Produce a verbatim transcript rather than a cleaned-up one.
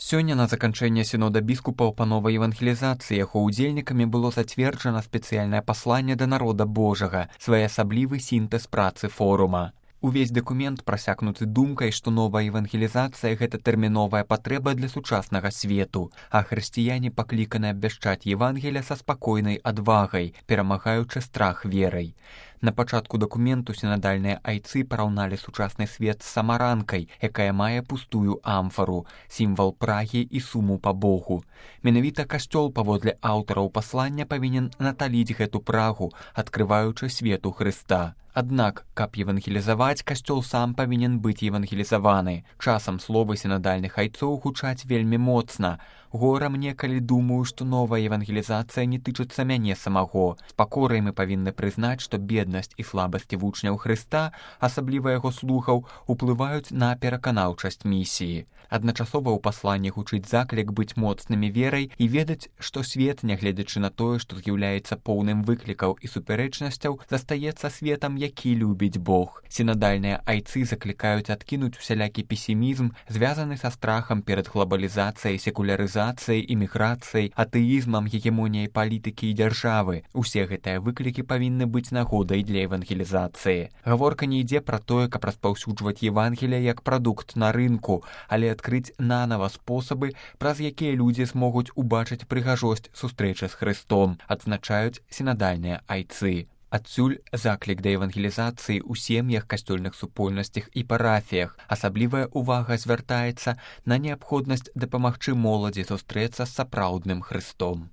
Сёння на заканчэнне сінода біскупаў па новай евангелізацыі яго ўдзельнікамі было зацверджана спецыяльнае пасланне да народа Божага, своеасаблівы сінтэз працы форума. Увесь дакумент прасякнуты думкай, што новая евангелізацыя – гэта тэрміновая патрэба для сучаснага свету, а хрысціяне пакліканы абвяшчаць Евангелія са спакойнай адвагай, перамагаючы страх верай. На пачатку дакументу сінадальныя айцы параўналі сучасны свет з самаранкай, якая мае пустую амфару, сімвал прагі і суму па Богу. Менавіта касцёл, паводле аўтараў паслання, павінен наталіць гэту прагу, адкрываючы свету Хрыста. Аднак, каб евангелізаваць, касцёл сам павінен быць евангелізаваны. Часам словы сінадальных айцоў гучаць вельмі моцна. Гора мне, калі думаю, што новая евангелізацыя не тычыцца мяне самого. З пакорай мы павінны прызнаць, што беднасць і слабасці вучняў Хрыста, асабліва яго слухаў, уплываюць на пераканаўчасць місіі. Адначасова ў пасланні гучыць заклік быць моцнымі верай і ведаць, што свет, нягледзячы на тое, што з'яўляецца поўным выклікаў і супярэчнасцяў, застаецца светам, які любіць Бог. Сінадальныя айцы заклікаюць адкінуць усялякі песімізм, звязаны са страхам перад глобалізацыяй, секулярызацыяй, іміграцыяй, атэізмам, гегемоніяй палітыкі і дзяржавы. Усе гэтыя выклікі павінны быць нагодай для евангелізацыі. Гаворка не ідзе пра тое, каб распаўсюджваць Евангелие як прадукт на рынку, але адкрыць нанава спосабы, праз якія людзі змогуць убачыць прыгажосць сустрэчы з Хрыстом, адзначаюць сінадальныя айцы. Адсюль заклік да евангелізацыі ў сем'ях, касцёльных супольнасцях і парафіях. Асаблівая ўвага звяртаецца на неабходнасць дапамагчы моладзі сустрэцца з сапраўдным Хрыстом.